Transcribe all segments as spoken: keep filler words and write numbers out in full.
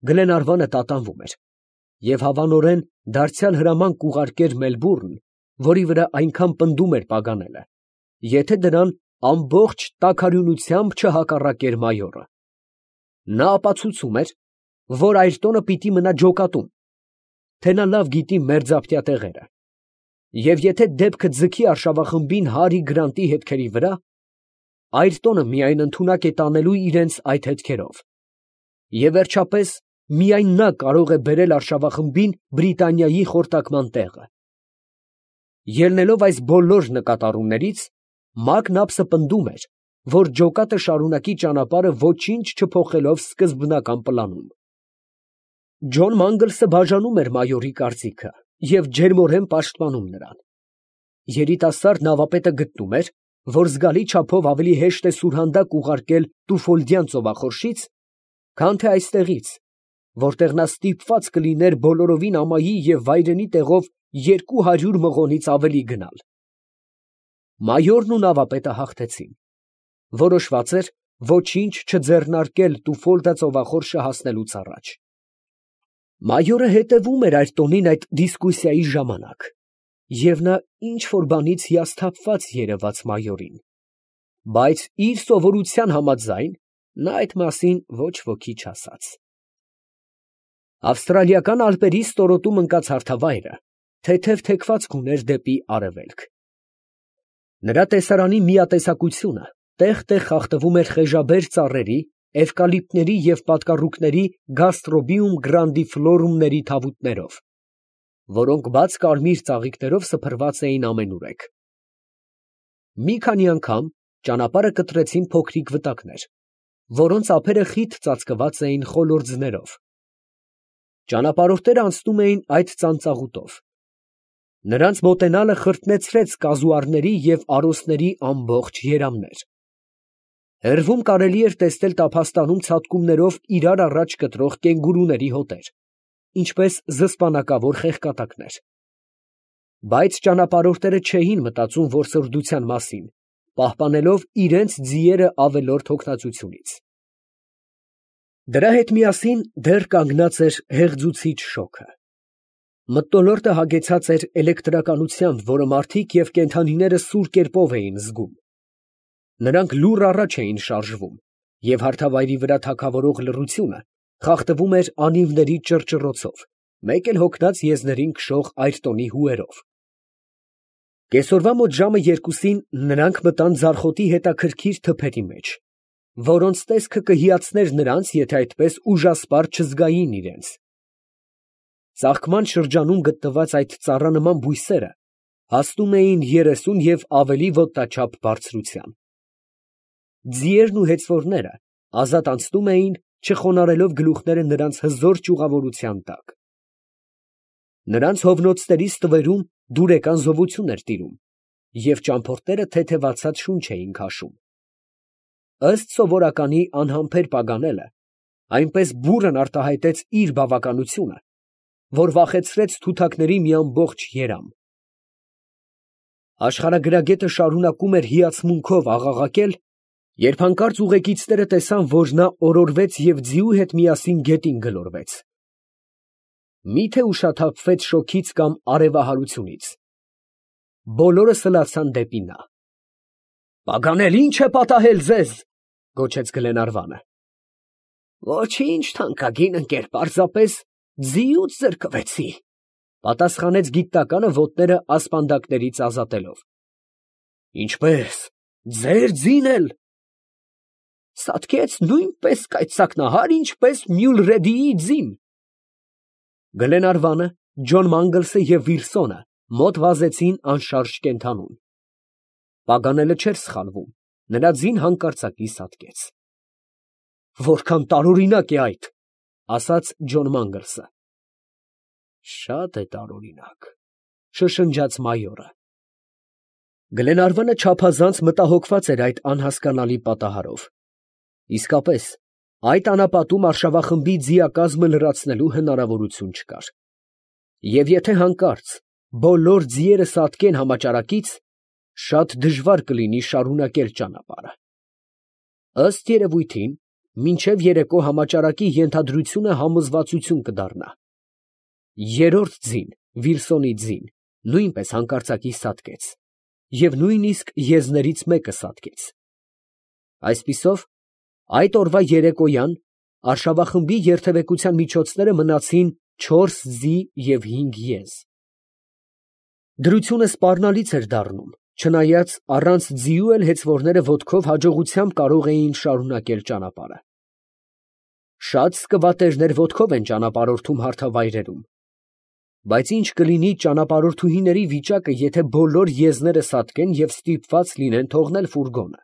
Գլենարվանը տատանվում էր, և հավանորեն դարձյալ հրաման կուղարկեր Մելբուրն, որի վրա այնքան պնդում էր Պագանելը, եթե դրան ամբողջ տաքարյունությամբ չհակառակեր մայորը. նա ապացուցում էր, որ Այրտոնը պիտի մնա ջոկատում, թե նա լավ գիտի մերձապտյա տեղերը, և եթե դեպքը ձգի արշավախմբին Հարի Գրանտի հետքերի վրա, Այրտոնը միայն ընդունակ է տանելու իրենց այդ հետքերով, և վերջապես միայն նա կարող է բերել արշավախմբին Բրիտանիայի խորտակման տեղը։ Ելնելով այս բոլոր նկատառումներից, Մակնապսը պնդում էր, որ ջոկատը շարունակի ճանապարհը ոչինչ չփոխելով սկզբնական պլանում։ Ջոն Մանգլսը բաժանում էր մայորի կարծիքը և ջերմորեն պաշտպանում նրան։ Երիտասարդ նավապետը գտնում էր, որ զգալի չափով ավելի հեշտ է սուրհանդակ ուղարկել Տուֆոլդյան ծովախորշից, քան թե այստեղից, որտեղ նա ստիպված կլիներ բոլորովին ամայի և վայրենի տեղով երկու հարյուր մղոնից ավելի գնալ։ Մայորն ու նավապետը հաղթեցին. որոշված էր ոչինչ չձեռնարկել Տուֆոլդա ծովախորշը հասնելուց առաջ։ Մայորը հետևում էր Այրտոնին այդ դիսկուսիայի ժամանակ, և նա ինչ֊որ բանից հիասթափված երևաց մայորին, բայց իր սովորության համաձայն, նա այդ մասին ոչ ոքի չասաց։ Ավստրալիական ալպերի ստորոտում ընկած հարթավայրը թեթև թեքվածք ուներ դեպի արևելք։ Նրա տեսարանի միատեսակությունը տեղ֊տեղ խախտվում էր խեժաբեր ծառերի, էվկալիպտների և պատկառուկների գաստրոբիում գրանդիֆլորումների թավուտներով, որոնք բաց կարմիր ծաղիկներով սփռված էին ամենուրեք։ Մի քանի անգամ ճանապարհը կտրեցին փոքրիկ վտակներ, որոնց ափերը խիտ ծածկված էին խոլորձներով։ Ճանապարհորդները անցնում էին այդ ծանծաղուտով։ Նրանց մոտենալը խրտնեցրեց կազուարների և արոսների ամբողջ երամներ։ Հեռվում կարելի էր տեսնել տափաստանում ցատկումներով իրար առաջ կտրող կենգուրուների հոտեր, ինչպես զսպանակավոր խեղկատակներ։ Բայց ճանապարհորդները չէին մտածում որսորդության մասին, պահպանելով իրենց ձիերը ավելորդ հոգնածությունից։ Դրա հետ միասին դեռ կանգնած էր հեղձուցիչ շոգը։ Մթնոլորտը հագեցած էր էլեկտրականությամբ, որը մարդիկ և կենդանիները սուր կերպով էին զգում։ Նրանք լուռ առաջ էին շարժվում, և հարթավայրի վրա թագավորող լռությունը խախտվում էր անիվների ճռճռոցով, մեկ էլ հոգնած եզներին քշող Այրտոնի հուերով։ Կեսօրվա մոտ ժամը երկուսին նրանք մտան ձարխոտի հետաքրքիր թփերի մեջ, որոնց տեսքը կհիացներ նրանց, եթե այդպես ուժասպառ չզգային իրենց։ Ծաղկման շրջանում գտնված այդ ծառանման բույսերը հասնում էին երեսուն և ավելի ոտնաչափ բարձրության։ Ձիերն ու հեծվորները ազատ անցնում էին, չխոնարհելով գլուխները նրանց հզոր ճյուղավորության տակ։ Նրանց հովնոցների ստվերում դուրեկան զովություն էր տիրում, և ճամփորդները թեթևացած շունչ էին քաշում։ Ըստ սովորականի անհամբեր Պագանելը այնպես բուռն արտահայտեց իր բավականությունը, որ վախեցրեց թութակների մի ամբողջ երամ։ Աշխարհագրագետը շարունակում էր հիացմունքով աղաղակել, երբ հանկարծ ուղեկիցները տեսան, որ նա օրորվեց և ձիու հետ միասին գետին գլորվեց։ Մի՞թե ուշաթափվեց շոգից կամ արևահարությունից։ Բոլորը սլացան դեպի նա։ «Պագանել, ի՞նչ է պատահել ձեզ», ֊ գոչեց Գլենարվանը։ ֊ Ոչինչ, թանկագին ընկեր, պարզապես ձիուց զրկվեցի, ֊ պատասխանեց գիտնականը ոտները ասպանդակներից ազատելով։ ֊ Ինչպե՞ս, ձեր ձին էլ։ ֊ Սատկեց նույնպես կայծակնահար, ինչպես Մյուլրեդիի ձին։ Գլենարվանը, Ջոն Մանգլսը և Վիլսոնը մոտ վազեցին անշարժ կենդանուն։ Պագանելը չէր սխալվում, նրա ձին հանկարծակի սատկեց։ ֊ Որքան տարօրինակ է այդ, ֊ ասաց Ջոն Մանգլսը։ ֊ Շատ է տարօրինակ, ֊ շշնջաց մայորը։ Գլենարվանը չափազանց մտահոգված էր այդ անհասկանալի պատահարով։ Իսկապես, այդ անապատում արշավախմբի ձիակազմը լրացնելու հնարավորություն չկար, և եթե հանկարծ բոլոր ձիերը սատկեն համաճարակից, շատ դժվար կլինի շարունակել ճանապարհը։ Ըստ երևույթին, մինչև երեկո համաճարակի ենթադրությունը համոզվածություն կդառնա։ Երրորդ ձին, Վիլսոնի ձին, նույնպես հանկարծակի սատկեց, և նույնիսկ եզներից մեկը սատկեց։ Այսպիսով, այդ օրվա երեկոյան արշավախմբի երթևեկության միջոցները մնացին չորս ձի և հինգ եզ։ Դրությունը սպառնալից էր դառնում, չնայած առանց ձիու էլ հեծվորները ոտքով հաջողությամբ կարող էին շարունակել ճանապարհը։ Շատ սկվատերներ ոտքով են ճանապարհորդում հարթավայրերում, բայց ինչ կլինի ճանապարհորդուհիների վիճակը, եթե բոլոր եզները սատկեն և ստիպված լինեն թողնել ֆուրգոնը։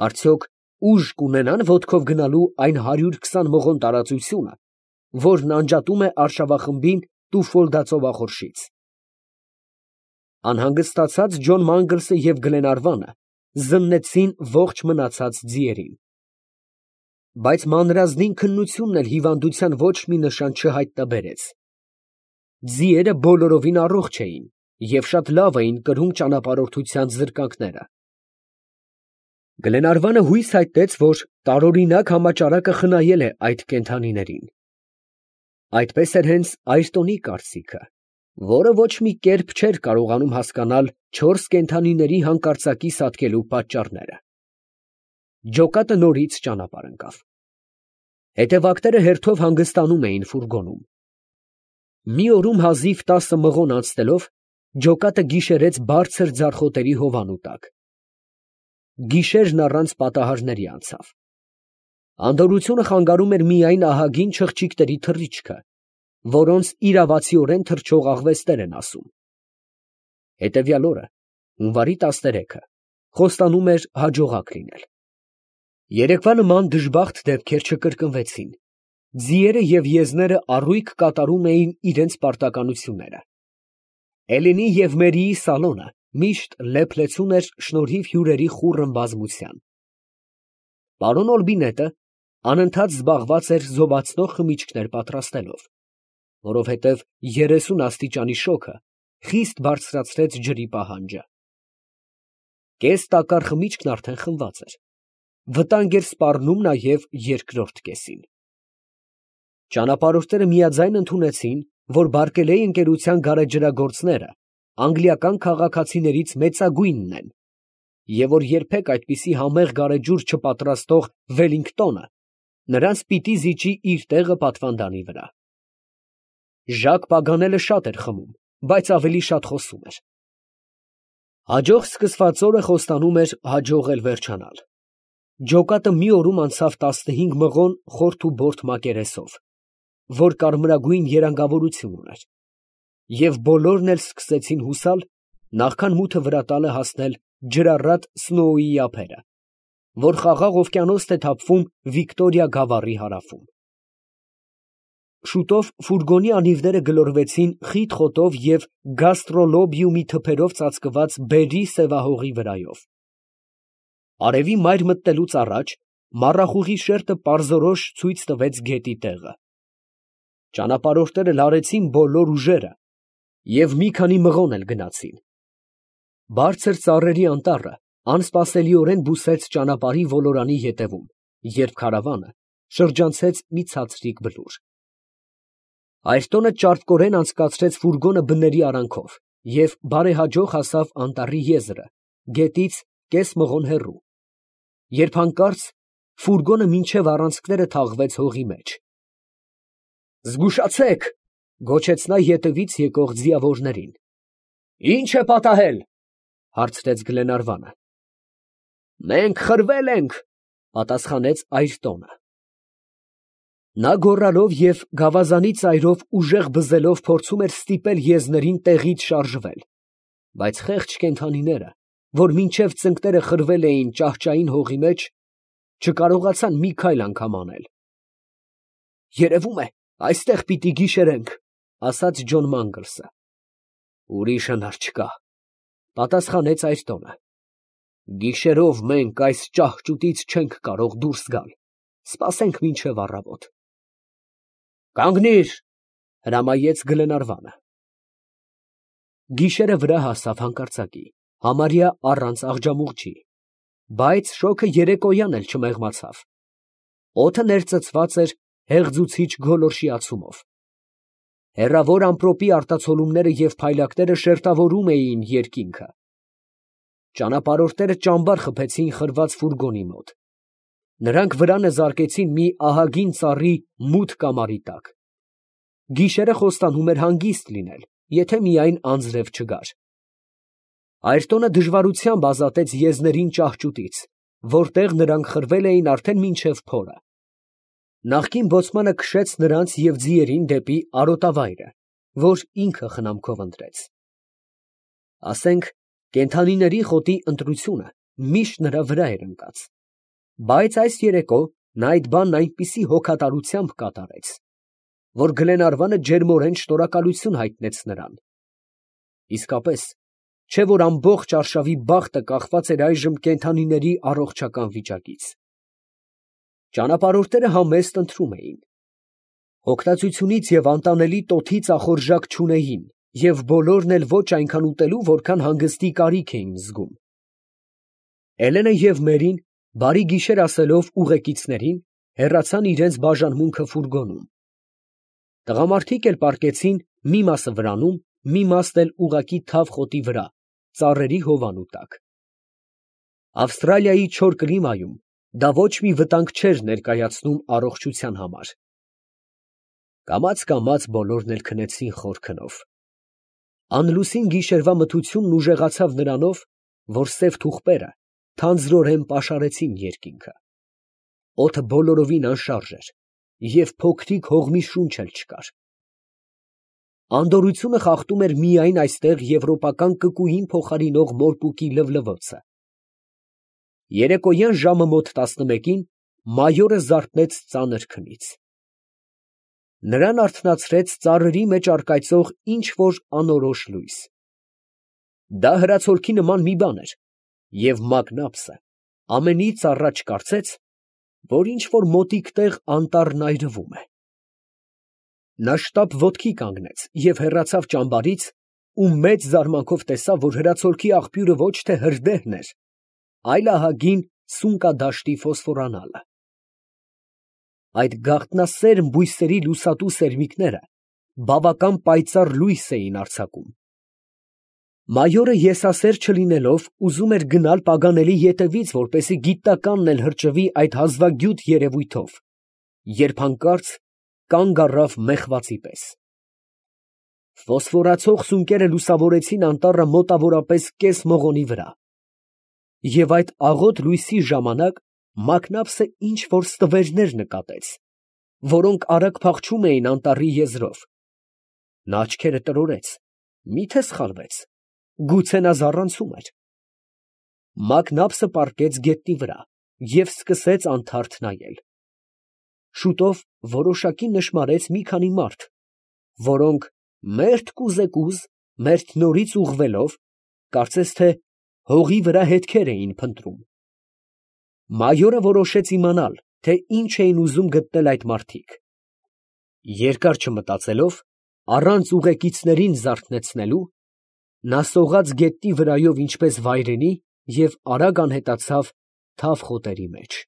Արդյոք ուժ կունենան ոտքով գնալու այն հարյուր քսան մղոն տարածությունը, որն անջատում է արշավախմբին Տուֆոլդա ծովախորշից։ Անհանգստացած Ջոն Մանգլսը և Գլենարվանը զննեցին ողջ մնացած ձիերին։ Բայց մանրազնին քննությունն էլ հիվանդության ոչ մի նշան չհայտնաբերեց։ Ձիերը բոլորովին առողջ էին և շատ լավ էին կրում ճանապարհորդության զրկանքները։ Գլենարվանը հույս հայտնեց, որ տարօրինակ համաճարակը խնայել է այդ կենդանիներին։ Այդպես էր հենց Այրտոնի կարծիքը, որը ոչ մի կերպ չէր կարողանում հասկանալ չորս կենդանիների հանկարծակի սատկելու պատճառները։ Ջոկատը նորից ճանապարհ ընկավ։ Հետևակները հերթով հանգստանում էին ֆուրգոնում։ Մի օրում հազիվ տասը մղոն անցնելով, ջոկատը գիշերեց բարձր ձարխոտերի հովանու տակ։ Գիշերն առանց պատահարների անցավ։ Անդորրությունը խանգարում էր միայն ահագին չղջիկների թռիչքը, որոնց իրավացիորեն թռչող աղվեսներ են ասում։ Հետևյալ օրը, հունվարի տասներեքը, խոստանում էր հաջողակ լինել։ Երեկվա նման դժբախտ դեպքեր չկրկնվեցին։ Ձիերը և եզները առույգ կատարում էին իրենց պարտականությունները։ Էլենի և Մերիի սալոնը միշտ լեփ-լեցուն էր շնորհիվ հյուրերի խուռն բազմության։ Պարոն Օլբինետը անընդհատ զբաղված էր զովացնող խմիչքներ պատրաստելով, որովհետև երեսուն աստիճանի շոգը խիստ բարձրացրեց ջրի պահանջը։ Կես տակառ խմիչքն արդեն խմված էր։ Վտանգ էր սպառնում նաև երկրորդ կեսին։ Ճանապարհորդները միաձայն ընդունեցին, որ Բարկելեյ ընկերության գարեջրագործները անգլիական քաղաքացիներից մեծագույնն են, և որ երբեք այդպիսի համեղ գարեջուր չպատրաստող Վելլինգտոնը նրանց պիտի զիջի իր տեղը պատվանդանի վրա։ Ժակ Պագանելը շատ էր խմում, բայց ավելի շատ խոսում էր։ Հաջող սկսված օրը խոստանում էր հաջող էլ վերջանալ։ Ջոկատը մի օրում անցավ տասնհինգ մղոն խորթ ու բորթ մակերեսով, որ կարմրագույն երանգավորություն ուներ, և բոլորն էլ սկսեցին հուսալ, նախքան մութը վրա տալը հասնել ջրառատ Սնոուի ափերը, որ խաղաղ օվկիանոսն է թափվում Վիկտորիա գավառի հարավում։ Շուտով ֆուրգոնի անիվները գլորվեցին խիտ խոտով և գաստրոլոբիումի թփերով ծածկված բերրի սևահողի վրայով։ Արևի մայր մտնելուց առաջ մառախուղի շերտը պարզորոշ ցույց տվեց գետի տեղը։ Ճանապարհորդները լարեցին բոլոր ուժերը և մի քանի մղոն էլ գնացին։ Բարձր ծառերի անտառը անսպասելիորեն բուսեց ճանապարհի ոլորանի ետևում, երբ քարավանը շրջանցեց մի ցածրիկ բլուր։ Այրտոնը ճարպկորեն անցկացրեց ֆուրգոնը բների արանքով և բարեհաջող հասավ անտառի եզրը, գետից կես մղոն հեռու, երբ հանկարծ ֆուրգոնը մինչև առանցքները թաղվեց հողի մեջ։ «Զգուշացե՛ք», ֊ գոչեց նա ետևից եկող ձիավորներին։ ֊ Ի՞նչ է պատահել, ֊ հարցրեց Գլենարվանը։ ֊ Մենք խրվել ենք, ֊ պատասխանեց Այրտոնը։ Նա գոռալով և գավազանի ծայրով ուժեղ բզելով փորձում էր ստիպել եզներին տեղից շարժվել, բայց խեղճ կենդանիները, որ մինչև ծնկները խրվել էին ճահճային հողի մեջ, չկարողացան մի քայլ անգամ անել։ ֊ Երևում է, այստեղ պիտի գիշերենք, ֊ ասաց Ջոն Մանգլսը։ ֊ Ուրիշ հնար չկա, ֊ պատասխանեց Այրտոնը։ ֊ Գիշերով մենք այս ճահճուտից չենք կարող դուրս գալ, սպասենք մինչև առավոտ։ ֊ Կանգնի՛ր, ֊ հրամայեց Գլենարվանը։ Գիշերը վրա հասավ հանկարծակի, համարյա առանց աղջամուղջի, բայց շոգը երեկոյան էլ չմեղմացավ։ Օդը ներծծված էր հեղձուցիչ գոլորշիացումով։ Հեռավոր ամպրոպի արտացոլումները և փայլակները շերտավորում էին երկինքը։ Ճանապարհորդները ճամբար խփեցին խրված ֆուրգոնի մոտ։ Նրանք վրանը զարկեցին մի ահագին ծառի մութ կամարի տակ։ Գիշերը խոստանում էր հանգիստ լինել, եթե միայն անձրև չգար։ Այրտոնը դժվարությամբ ազատեց եզներին ճահճուտից, որտեղ նրանք խրվել էին արդեն մինչև փորը։ Նախկին բոցմանը քշեց նրանց և ձիերին դեպի արոտավայրը, որ ինքը խնամքով ընտրեց։ Ասենք, կենդանիների խոտի ընտրությունը միշտ նրա վրա էր ընկած, բայց այս երեկո նա այդ բանն այնպիսի հոգատարությամբ կատարեց, որ Գլենարվանը ջերմորեն շնորհակալություն հայտնեց նրան։ Իսկապես, չէ՞ որ ամբողջ արշավի բախտը կախված էր այժմ կենդանիների առողջական վիճակից։ Ճանապարհորդները համեստ ընթրում էին։ Հոգնածությունից և անտանելի տոթից ախորժակ չունեին և բոլորն էլ ոչ այնքան ուտելու, որքան հանգստի կարիք էին զգում։ Էլենը և Մերին, բարի գիշեր ասելով ուղեկիցներին, հեռացան իրենց բաժանմունքը ֆուրգոնում։ Տղամարդիկ էլ պառկեցին մի մասը վրանում, մի մասն էլ ուղղակի թավ խոտի վրա, ծառերի հովանու տակ։ Ավստրալիայի չոր կլիմայում դա ոչ մի վտանգ չէր ներկայացնում առողջության համար։ Կամաց֊կամաց բոլորն էլ քնեցին խոր քնով։ Անլուսին գիշերվա մթությունն ուժեղացավ նրանով, որ սև թուղպերը թանձրորեն պաշարեցին երկինքը։ Օդը բոլորովին անշարժ էր, և փոքրիկ հողմի շունչ էլ չկար։ Անդորրությունը խախտում էր միայն այստեղ եվրոպական կկուին փոխարինող մորպուկի լվլվոցը։ Երեկոյան ժամը մոտ տասնմեկին մայորը զարթնեց ծանր քնից։ Նրան արթնացրեց ծառերի մեջ առկայծող ինչ֊որ անորոշ լույս։ Դա հրացոլքի նման մի բան էր, և Մակնաբսը ամենից առաջ կարծեց, որ ինչ֊որ մոտիկ տեղ անտառն այրվում է։ Նա շտապ ոտքի կանգնեց և հեռացավ ճամբարից ու մեծ զարմանքով տեսավ, որ հրացոլքի աղբյուրը ոչ թե հրդեհն էր, այլ ահագին սունկադաշտի ֆոսֆորանալը։ Այդ գաղտնասերմ բույսերի լուսատու սերմիկները բավական պայծառ լույս էին արձակում։ Մայորը եսասեր չլինելով, ուզում էր գնալ Պագանելի ետևից, որպեսզի գիտնականն էլ հրճվի այդ հազվագյուտ երևույթով, երբ հանկարծ կանգ առավ մեղվածի պես։ Ֆոսֆորացող սունկերը լուսավորեցին անտառը մոտավորապես կես մղոնի վրա, և այդ աղոտ լույսի ժամանակ Մակնաբսը ինչ֊որ ստվերներ նկատեց, որոնք արագ փախչում էին անտառի եզրով։ Նա աչքերը տրորեց, մի՞թե սխալվեց, գուցե նա զառանցում էր։ Մակնաբսը պառկեց գետնի վրա և սկսեց անթարթ նայել։ Շուտով որոշակի նշմարեց մի քանի մարդ, որոնք մերթ կուզեկուզ, մերթ նորից ուղղվելով, կարծես թե հողի վրա հետքեր էին փնտրում։ Մայորը որոշեց իմանալ, թե ինչ էին ուզում գտնել այդ մարդիկ։ Երկար չմտածելով, առանց ուղեկիցներին զարթնեցնելու, նա սողաց գետնի վրայով ինչպես վայրենի և արագ անհետացավ թավ խոտերի մեջ։